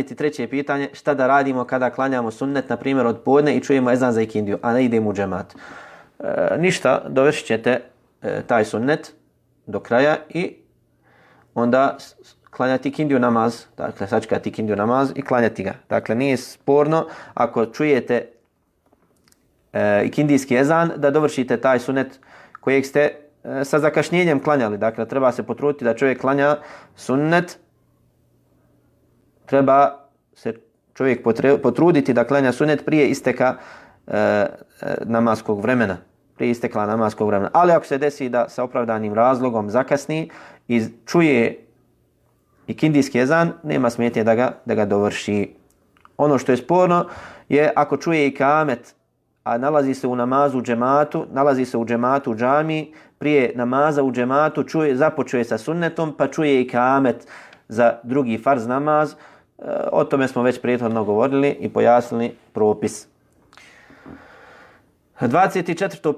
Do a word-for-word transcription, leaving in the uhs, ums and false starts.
Treće pitanje, šta da radimo kada klanjamo sunnet, na primjer od podne i čujemo ezan za ikindiju, a ne idemo u džemat. E, ništa, dovršit ćete e, taj sunnet do kraja i onda klanjati ikindiju namaz, dakle sačekati ikindiju namaz i klanjati ga. Dakle, nije sporno ako čujete e, ikindijski ezan da dovršite taj sunnet kojeg ste e, sa zakašnjenjem klanjali. Dakle, treba se potruditi da čovjek klanja sunnet, treba se čovjek potruditi da klanja sunnet prije isteka e, namaskog vremena. Prije istekla namaskog vremena. Ali ako se desi da sa opravdanim razlogom zakasni i čuje ikindijski ezan, nema smetnje da ga, da ga dovrši. Ono što je sporno je ako čuje ikamet, a nalazi se u namazu u džematu, nalazi se u džematu u džamiji, prije namaza u džematu čuje, započuje sa sunnetom, pa čuje ikamet za drugi farz namaz. O tome smo već prethodno govorili i pojasnili propis. dvadeset četvrto